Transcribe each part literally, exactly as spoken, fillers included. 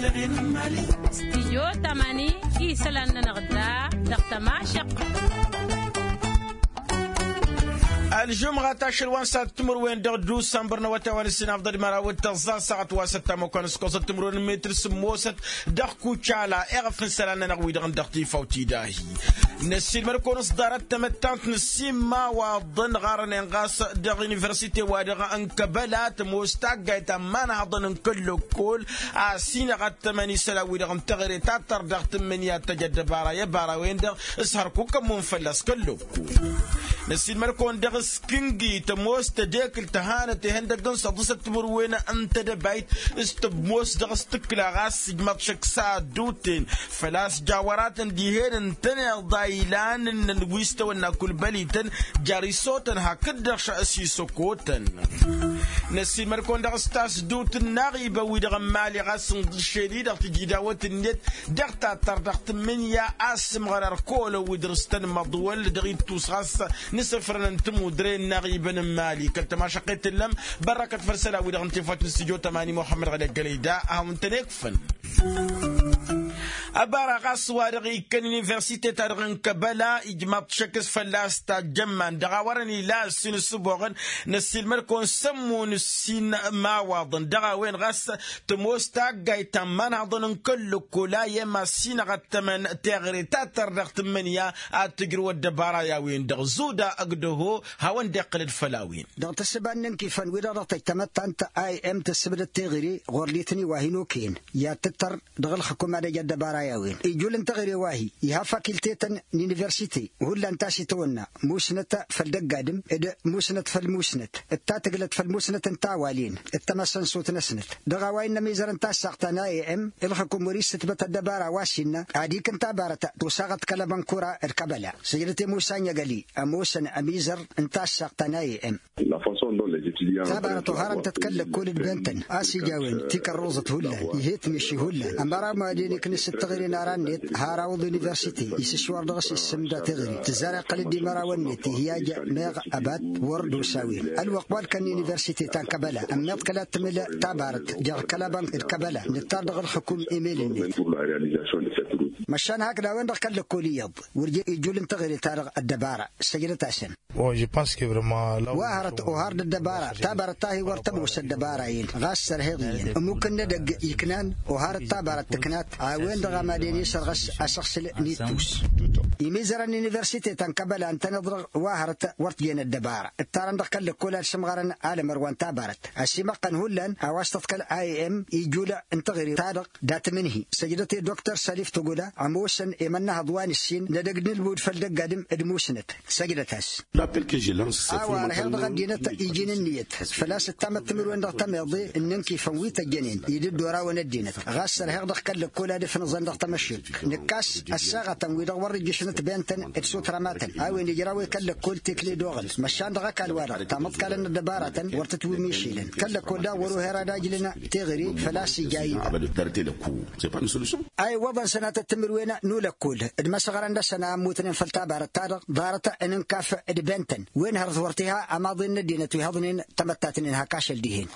Stijyo tamani isălan-nănăɣ da dăɣ-tămašăqq. Ălžumɣa tašăl wa n-sat timǝrwen dăɣ-dusămbăr n-awătay wa n-ǝssin afḍăl măraw d-tăẓẓa ăssaɣăt wa s-ăttamăkwan s-kosăt timǝrwen n-metr sǝmmosăt dăɣ-kucala eɣăf n-isălan-nănăɣ wi-dăɣ n-dăɣ-tifawt idahi. Năssiilmăd-kăwăn s-ḍarăt tamăttant n-ǝssin imawaḍăn ɣarănen ɣas dăɣ-universite-wa-dăɣ n-kăbăla tămoos taggayt ta n-imanhăḍăn n-kăl-lăkkol a ăsinăɣ ad-tămăn isălan-wi-dăɣ n-teɣăre ta tărdăɣt n-imǝnǝya ad-tăj ăddăbara i-ăbara-wen-dăɣ s-hărkuk ămmun fălla-s kăl-lăkkol. Năssiilmăd-kăwăn dăɣ-s kǝngi tămoos tădekǝlt ta hanăt ihăndăgg n-săḍisăt timǝrwen n-tedăbayt s-tămoos dăɣ-s tǝkla ɣas ijmaḍ šăkk s-ad-duten făl-a-s jawăratăn dihen ǝntăneḍ a ilan ǝnnăn wi s-tawănna kulbălităn. Jer-isotăn hakd-dăɣ s-isăkotăn. Năssiilmăd-kăwăn dăɣ-s tasdut n-inaɣibăn wi-dăɣ n-imali ɣas ǝnɣǝššen-i-dăɣ tijidawăt-net dăɣ-tattăr dăɣ-tǝmmǝnǝya a ăssǝmɣăr ărkolăn wi dăr-s tăn-măḍwăl dăɣ-ittus ɣas n-isǝfrăn n-tămudre n-inaɣibăn n-imali kăl-tămašăqqet tǝllăm. Bărrăkăt făll-isălan-wi-dăɣ n-tinfăt n-stujo tămani muxămmăd ɣăli ăggălăy da ad-hawăn-tăn-ikfăn. Ăbara ɣas wa-dăɣ ikkăn universite-ta-dăɣ n-kăbăla ijmaḍ šăkk s-fălla-s tajjămman dăɣ-a wărăn ila ǝssin ǝssǝboɣăn. Năssiilmăd-kăwăn s-ămmun ǝssin imawaḍăn dăɣ-a-wen ɣas tămoos taggayt ta n-imanhăḍăn n-kăl-lăkkol a i-ămassinăɣ ad-tămăn teɣăre ta tărdăɣt n-imǝnǝya ad-tǝjrǝw ăddăbara i-a-wen-dăɣ zuda ăgg-dăho. Hawăn-dd-iqqǝlăd făll-a-wen. Dăɣ-tǝssǝba n-inǝnkifăn wi-dăɣ dăɣ-tăj tamăttant a i m tǝssǝbdăd teɣăre ɣur-lităn-i wa hin-okăyăn i-ad-tǝttăr dăɣ-ǝlxǝkum ad-ăj ăddăbara i-a-wen ijul n-teɣăre wa-hi iha fakultetăn n-universite hullan ta s-itawănna musnăt făll-dăgg-adǝm d-musnăt făll-musnăt d-tatǝglăt făll-musnăt n-tawalin d-tamăssănsut-năsnăt. Dăɣ-a-wa innă ămizăr n-tassaɣt ta n-aem ǝlxǝkum wăr-issǝtbăt ăddăbara wa s-innă ad-ikǝn tabarăt tusaɣăt kăl-abănkura d-kăbăla săjdăt i-musa n-inyăgăli ămoosăn ămizăr n-tassaɣt ta n-aem. Tabarăt oharăn-tăt kăl-lăkkol d-ben-tăn a-s ija a-wen tikărruẓăt hullan ih'-e tǝmiši hullan ămăra mad-en iknǝs d-teɣăre n-ara-net har awǝḍ universite isǝšwăr dăɣ-s issǝmda teɣăre tǝzzar iqqăl-dd imărawăn-net ih'-i ajja meɣ ăbat wăr d-osa a-wen ălwăqq wa ǝlkăn n-universite ta n-kăbăla ămmiḍ kăla t-tǝmǝl tabarăt jer-kăl-abănk d-kăbăla nǝttar dăɣ-ǝlxǝkum emel-net. Măšan hakd a-wen-dăɣ kăl-lăkkol iyyăḍ wăr ija ijul n-teɣăre-ta-dăɣ ăddăbara. Săjdăt-asăn. Wa hărăt ohar d-ăddăbara tabarăt ta hi-wăr tămoos ăddăbara-in ɣas sărheḍ iyyăn ămukǝn n-edăgg iknan oharăt tabarăt tǝknat a-wen-dăɣ a mad-en i-sărɣăs asăɣsǝl n-ittus. Imizărăn n-universite ta n-kăbăla ǝntăneḍ-dăɣ wa hărăt wăr t-jen ăddăbara ǝttarăn dăɣ-kăl-lăkkol ad-sǝmɣărăn alămăr wa n-tabarăt ăsimăqqăn hullan a-wa s-tăḍkăl a i m ijul n-teɣăre-ta-dăɣ dat-imǝnhi săjdăt i-doktor salif tăgoda ămoosăn i-imănnăhăḍ wa n-ǝssin n-edăgg n-ǝlmud făll-dăgg-adǝm d-musnăt. Săjdăt-as. A-wa ărheɣ dăɣ-ăddinăt iji n-ǝnniyăt făl-a-s ǝttamăt timǝrwen dăɣ-tămeḍe n-inǝnkifăn wi tăjjănen i-dd-orawăn ăddinăt ɣas ărheɣ dăɣ-kăl-lăkkol ad-ǝfnǝẓăn dăɣ-tamăššek nǝkkas ăssaɣătăn-wi-dăɣ wăr-ijjǝšnăt ben-tăn d-sutrăma-tăn a-wen ijraw i-kăl-lăkkol tekle d-oɣǝl măšan dăɣ-ăkall-wa-dăɣ tamăḍkalăn n-ăddăbaratăn wăr tǝtwǝmmišilăn kăl-lăkkol daɣ wăr-oher ad-ajlǝn teɣăre făl-a-s ija a-wen. A iwwăḍăn sănatăt timǝrwen n-ulăkkol d-imăsɣărăn-năsăn a ămmutnen făll-tabarăt-ta-dăɣ ḍarăt n-inkaf d-ben-tăn wen hărăt wăr t-iha ămaḍen n-ăddinăt wi hăḍnen tamăttatnen hak ašăl dihen.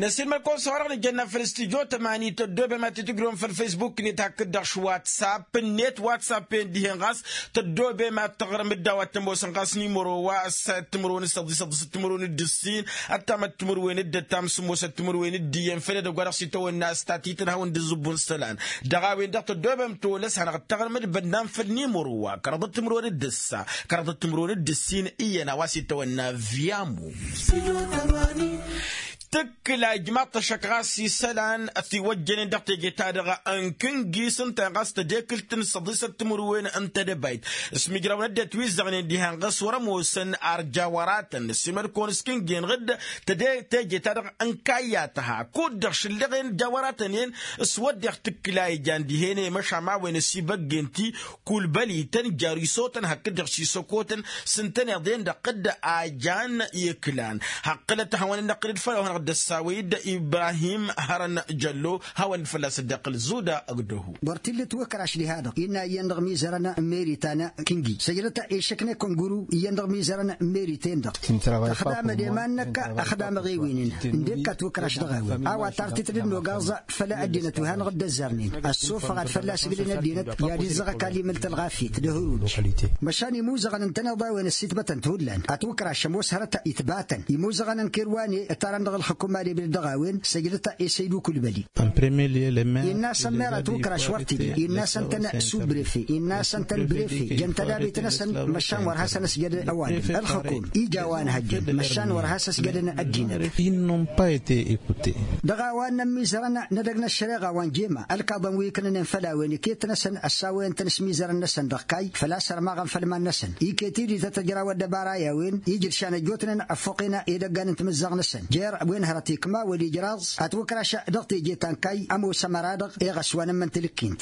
Năsiilmăd-kăwăn s-a-wa-dăɣ nǝjjănna făll-studyo tămani tăddobem ad-t-tǝjrǝwăm făll-facebook-net hakd-dăɣ š-whatsapp-net whatsapp-en dihen ɣas tăddobem ad-tăɣrǝm d-a-wa t-ămoosăn ɣas nimăro wa ăssayăt timǝrwen d-săḍisăḍ s-timǝrwen d-ǝssin ăttamăt timǝrwen d-ăttam sǝmmosăt timǝrwen d-iyyăn făll-edăgg wa dăɣ-s itawănna a-s tatităn hawăn-dd-ǝẓǝbbun isălan. Dăɣ-a-wen-dăɣ tăddobem tolăs hanăɣ-dd-taɣrǝm d-bănnan făll-nimăro wa kăraḍăt timǝrwen d-ǝssa kăraḍăt timǝrwen d-ǝssin iyyăn a-wa s-itawănna viyamu. Tǝkkǝla ijmaḍ-t ăššăk ɣas isălan ătiwăjjănen dăɣ-teje-ta-dăɣ n-kǝngis ǝnta-en ɣas tădekǝlt n-săḍisăt timǝrwen n-tedăbayt s-imǝjrawăn ăddinăt wi ǝzzăɣnen dihen ɣas wăr-ămoosăn ar jawăratăn năssiilmăd-kăwăn s-kǝngi-enăɣ-dd. Teje-ta-dăɣ n-kayya tăha kud-dăɣ šǝllăɣen jawăratăn-en s-wădden tǝkkǝla ijan dihen i-măšan ma-wen ăsibăggen-ti kulbălităn jer-isotăn hakd-dăɣ s-isăkotăn s-ǝntăneḍ-en-dăɣ d-a jan iklan. Haqqǝlăt ad-hawăn-dd-năqqǝl d-făll-a-wa hanăɣ-dd d-ăssawăy-dd ibrahim hărăn jăllo hawăn-dd fălla-s dd-iqqǝl zuda ăgg-dăhu. Wăr t-illa ătwǝkraš diha-dăɣ innă iyyăn dăɣ-imizărăn n-meritan kingi săjdăt išǝknăy kănguru iyyăn dăɣ-imizărăn n-meriten-dăɣ. Tăxdamăd i-iman-năk ăxdamăɣ i-win-in ǝndek atwǝkraš dăɣ-a-wen a-wa tartit dd-nogaẓ făll-ăddinăt wi hanăɣ-dd-ăzzarnen ăssofăɣ ad-fălla-s ǝglen ăddinăt i-ad-izzăɣ ăkall imǝlt ălɣafyăt d-ehăruj. Măšan imuzăɣăn ǝntăneḍ a-wen ăssitbătăn-t hullan atwǝkraš ămoos hărăt itbatăn imuzăɣăn n-kerwane ǝttarăn dăɣ-ǝlxǝkum ad-eblăd dăɣ-a-wen săjdăt i-săydu kulbăli. Inna-săn mer atwǝkraš wăr t-illa inna-săn-tăn subrefe inna-săn-tăn brefe jăn tădabit-năsăn măšan wăr has-ănăsjădăn ăwadǝm ǝlxǝkum ija a-wa ănhăjjăn măšan wăr has-ăsjădăn ăddinăt. Dăɣ-a-wa ǝnnăn imizărăn n-edăgg n-ăššăreɣa wa n-jema ălkaḍăn wi ǝknănen făll-a-wen iket-năsăn ăssawăyăn-tăn s-imizărăn-năsăn dăɣ-kayy făl-a-s ărmaɣăn făll-iman-năsăn iket-i d-ităt ăjraw ăddăbara i-a-wen ijǝd šanăjjotnen ăffuqen edăggan n-timǝzzaɣ-năsăn jer-wen hărăt ikma wăl-ijraẓ atwǝkraš dăɣ-teje ta n-kayy ămoos ămăra-dăɣ eɣăs wa n-ǝmmǝn tilǝkkint.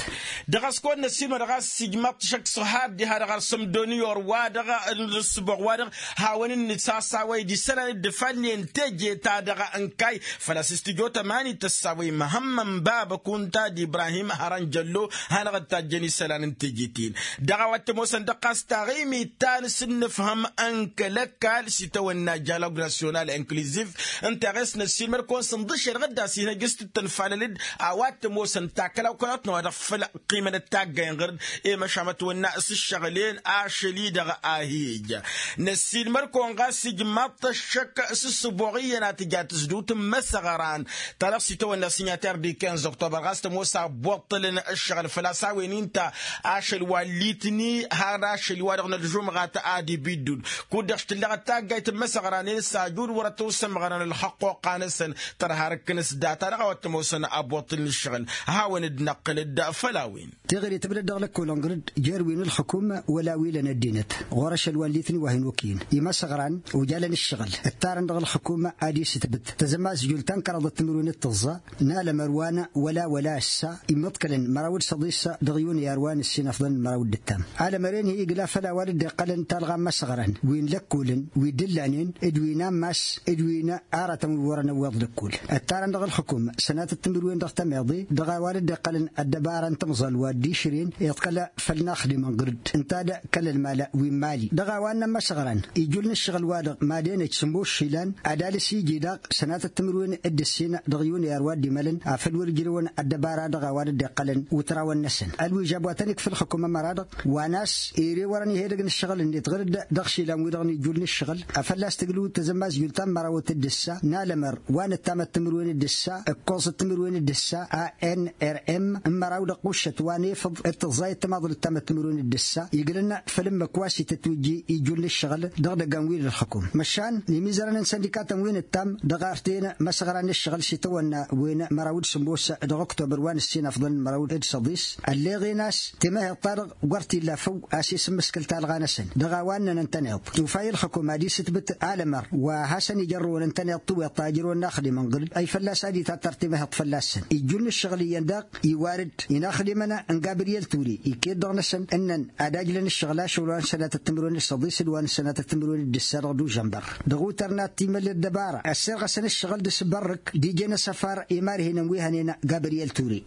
Dăɣ-a-s kăwăn-năssiilmăd ɣas ijmaḍ-t šăkk s-ohar diha-dăɣ ar sămdoni orwa-dăɣ n-ǝssǝboɣ-wa-dăɣ hawăn-dd-nǝsasawăy d-isălan dd-ifalnen teje-ta-dăɣ n-kayy făl-a-s s-tijot ămanit tăssawăy măhămmăn bab ăkunta d-ibrahim hărăn jăllo hanăɣ-dd-tajjăn isălan n-teje-ten. Dăɣ-a-wa t-ămoosăn dăɣ-ɣas taɣimit ta n-asǝnnǝfhăm n-kăl-ăkall s-itawănna jalog nasyonal inkliziv ǝnta a ɣes năssiilmăd-kăwăn sǝnḍǝšel ɣǝdda s-hin-ăjjǝs tǝttănfalăl-dd a-wa t-ămoosăn takăla okăyotnăwa dăɣ-făll-ăqqiimăn d-taggay n-ɣăr-dd i-măšan mătwănna s-ǝššăɣǝl-en ašăl-i-dăɣ a hi-ija. Năssiilmăd-kăwăn ɣas ijmaḍ-t ăššăk s-ǝssǝboɣ iyyăn a tǝja tǝzdut n-imăsăɣran ta dăɣ-s itawănna s-inyater d-ikenz oktober ɣas tămoos a ăbbuṭṭălăn ǝššăɣǝl făl-a-s a-wen inta ašăl wa n-litni har ašăl-i-wa-dăɣ n-ălžumɣat ad-ibiddud kud-dăɣ s-tǝlleɣăt taggayt n-imăsăɣranen s-ajud wăr-ătwǝssămɣărăn ălxăqquqa-năsăn tărha răkkăn s-data-dăɣ a-wa t-ămoosăn abuṭṭǝl n-ǝššăɣǝl. Hawăn-dd-năqqǝl-dd făll-a-wen. Teɣăre tǝbdăd dăɣ-lăkkolăn ɣǝr-dd jer-win ǝlxǝkum wăla wi lăn ăddinăt ɣur-ašăl wa n-litni wa hin-okǝyǝn imăsăɣran ojalăn ǝššăɣǝl ǝttarăn dăɣ-ălxǝkum ad-isǝtbǝt tăzămazjult ta n-kăraḍăt timǝrwen d-tǝẓẓa n-alămăr wa n-wăla wăla ăssa immǝḍkălăn măraw d-săḍis dăɣ-yunăyar wa n-ǝssin ăfḍăn d-măraw d-ǝttam alămăr-en hi-igla făll-a-wa dd-iqqălăn talɣa n-imăsăɣran wi n-lăkkolăn wi d-ǝllanen d-wi n-ammas d-wi n-aratăn wi wărăn ăwweḍ lăkkol ǝttarăn dăɣ-ǝlxǝkum sănatăt timǝrwen dăɣ-tămeḍe dăɣ-a-wa dd-iqqălăn ăddăbara n-timẓal wa dd-išrǝyăn iḍkăl făll-inaxdimăn ɣǝr-dd ǝnta-dd kăl-ălmal wi n-imali dăɣ-a-wa ǝnnăn imăsăɣran ijul n-ǝššăɣǝl-wa-dăɣ mad-enăj sǝmmos išilan ad-alǝs iji daɣ sănatăt timǝrwen d-ǝssin dăɣ-yunăyar wa dd-imălăn afăl wăr ǝjrewăn ăddăbara dăɣ-a-wa dd-iqqălăn wǝtrawăn-năsăn ălwižab wa tăn-ikf ǝlxǝkum ămăra-dăɣ wa n-a-s ere wărăn ih' edăgg n-ǝššăɣǝl-net ɣǝr-dd dăɣ-išilan-wi-dăɣ n-ijul n-ǝššăɣǝl a fălla-s tǝglǝw d-tazămmazjult ta n-mărawăt d-ǝssa n-alămăr wa n-ăttamăt timǝrwen d-ǝssa ǝkkoẓăt timǝrwen d-ǝssa a n-r m n-măraw d-ăqquššăt wa n-efăḍ d-tǝẓẓayăt timaḍlăt tamăt timǝrwen d-ǝssa iglăn făll-ǝmmǝk wa s-itătwǝjji ijul n-ǝššăɣǝl dăɣ-idăggan wi n-ǝlxǝkum măšan imizărăn n-săndikatăn wi n-ǝttam dăɣ-arten imăsăɣra n-ǝššăɣǝl s-itawănna wen măraw d-sǝmmos dăɣ-oktobăr wa n-ǝssin afḍăn măraw d-săḍis ălleɣen a-s timăheḍt-ta-dăɣ wăr t-illa făw a-s isǝmmǝskǝl talɣa-năsăn dăɣ-a-wa ǝnnăn ǝntăneḍ tufa i-ǝlxǝkum ad-isǝtbǝt alămăr wa hasăn-ijărrăwăn ǝntăneḍ tiweḍt ta ijrăwăn inaxdimăn ɣǝr-dd ăy fălla-s ad-itattăr timăheḍt fălla-săn ijjul n-ǝššăɣǝl iyyăn daɣ iwar-dd inaxdimăn n-gabriyel ture iket dăɣ-năsăn ǝnnăn ad-ajlăn ǝššăɣǝl ašăl wa n-sănatăt timǝrwen d-săḍis d-wa n-sănatăt timǝrwen d-ǝssa dăɣ-dužănbăr dăɣ-utărnat timăl d-ăddăbara ăssirɣăsăn ǝššăɣǝl d-asǝbărrǝk d-ije n-asăfar i-marhinen wi hănen gabriyel ture.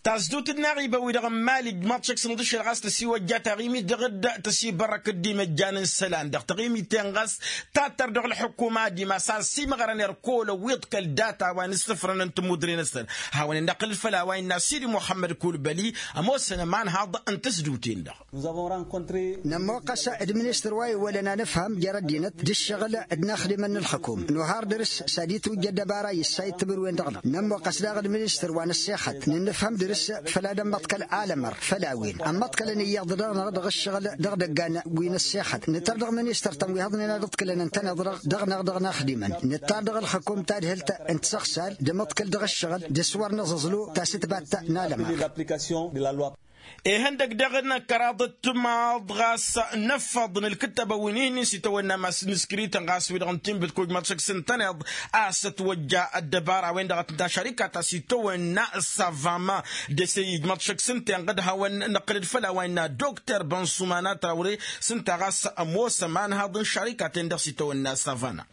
Tasdut n-aɣibăw-wi-dăɣ n-mali ǝjmaḍ šăkk s-inḍǝšel ɣas tăsiwăjja taɣimit dăɣ-dd tăsibărrăk dd-imăjjan n-isălan dăɣ-taɣimit-en ɣas tattăr dăɣ-ălxukum ad-imas a ăsimăɣrăn irkol ăwwiḍ kăl-data wa n-isǝfrăn n-timudre-năsăn. Hawăn-dd-năqqǝl făll-a-wa innă sidi muḥămmăd kulbăli ămoosăn ămanhaḍ n-tasdut-en-dăɣ. Nămmoqqăs d-ministăr wa iwwălăn anǝfham jer-ăddinăt d-ǝššăɣǝl d-inaxdimăn n-ălxǝkum nohar dăr-s s-ad-itwǝjja ăddăbara i-ǝssay timǝrwen dăɣ-năɣ nămmoqqăs daɣ d-ministăr wa n-ăssexăt n-inǝfham dăr-s făll-ad-ămmăḍ kăl-alămăr făll-a-wen ămmăḍkălăn iyyăḍ dăɣ-năɣ dăɣ-ǝššăɣǝl dăɣ-idăggan wi n-ăssexăt nǝtăr dăɣ-ministăr-tăn wi hăḍnen ad-ǝḍkǝlăn ǝntăneḍ-dăɣ dăɣ-năɣ dăɣ-inaxdimăn nǝttar dăɣ-ălxǝkum tadhǝlt n-tisăɣsal d-amăḍkăl dăɣ-ǝššăɣǝl d-aswăr n-aẓǝẓlu tasǝtbat n-alămăr. Ihăndăgg daɣ n-kăraḍ d-timaḍ ɣas n-ăffăḍ n-ǝlkǝttăbăn wi n-ihǝnnin s-itawănna mass n-iskrităn ɣas wi-dăɣ n-tinbǝt kujmăḍ šăkk s-ǝntăneḍ a-s ătwăjja ăddăbara-wen-dăɣ a t-ǝnta šarika ta s-itawănna s-avama d-ese ijmăḍ šăkk s-ǝnta inɣăd hawăn-năqqǝlăd făll-a-wa innă dokter bănsumana trawre s-ǝnta ɣas ămoos ămanhaḍ n-šarika-ten-dăɣ s-itawănna s-avama.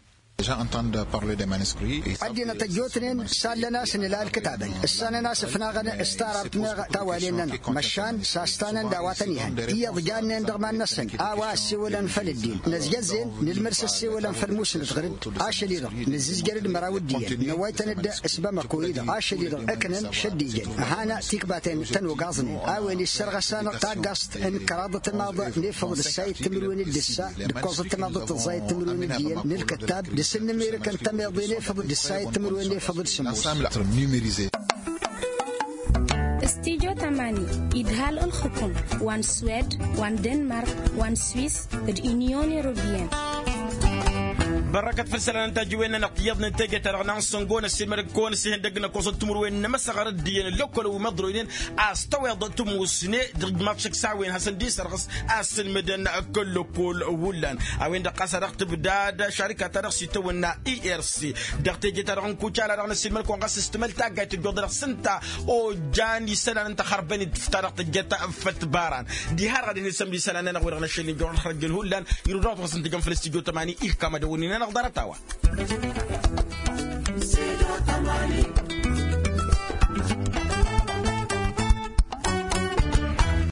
Ăddinăt ăjjootnen sallăn a-s nǝla ǝlkǝtabăn ǝssanăn a-s ǝfnaɣăn s-taraḍt meɣ tawalen-nănăɣ măšan s-a ǝstanăn d-a-wa tăn-ihăn iyyăḍ jannen dăɣ-iman-năsăn a-wa ăssewălăn făll-ǝddin năzjăzzin nǝlmǝd s-ăssewălăn făll-musnăt ɣǝr-dd. Ašăl-i-dăɣ nǝzzǝzjăr-dd măraw ǝddiyăn năwwăytăn-dd s-bamăko-i-dăɣ ašăl-i-dăɣ ǝknăn šăddijăn ăhană tikbaten tăn-ogaẓnen a-wen issărɣăs-anăɣ taggaẓt n-kăraḍăt n-imaḍ n-efăḍ d-ǝssayăt timǝrwen d-ǝssa d-ǝkkoẓăt n-imaḍ d-tǝẓẓayăt timǝrwen d-iyyăn n-ǝlkǝttab d-asǝnnǝmirǝk n-tămeḍe n-efăḍ d-ǝssayăt timǝrwen n-efăḍ d-sǝmmos. Studyo tamani idhal ǝlxǝkum wa n-swed wa n-denmark wa n-swis d-inyon europiyăn. Bărrăkăt făll-isălan n-tajǝwen-nănăɣ tiyyăḍnen teje-ta-dăɣ n-ansăngo n-ăssiilmădăg kăwăn-ăssihăndăg n-ăkkoẓăt timǝrwen n-emăsăɣăr d-iyyăn ăllăkkol wi măḍroynen a-s tăweḍ tǝmmusne dăɣ-mašăk s-a-wen hasăn-dd-isărɣǝs a ăssǝlmǝdăn kăl-lăkkol. Hullan a-wen-dăɣ ɣas a dăɣ-tǝbdad šarika-ta-dăɣ s-itawănna irc dăɣ-teje-ta-dăɣ n-kucala dăɣ-năssiilmăd-kăwăn ɣas s-tǝmăl taggayt tǝjjuḍ-dăɣ s-ǝnta ojjan isălan ǝnta xărbăn-dd fǝtta dăɣ-tǝjjăt făll-tibaran. Diha-dăɣ ad-hin-isămd isălan-nănăɣ wi-dăɣ n-ašăl n-ijorăn xărăjjăn hullan irud-anăɣ-t ɣas n-tǝjăn făll-studyo tămani ihkam ad-ăwwănnin-anăɣ ḍarăt-a-wa.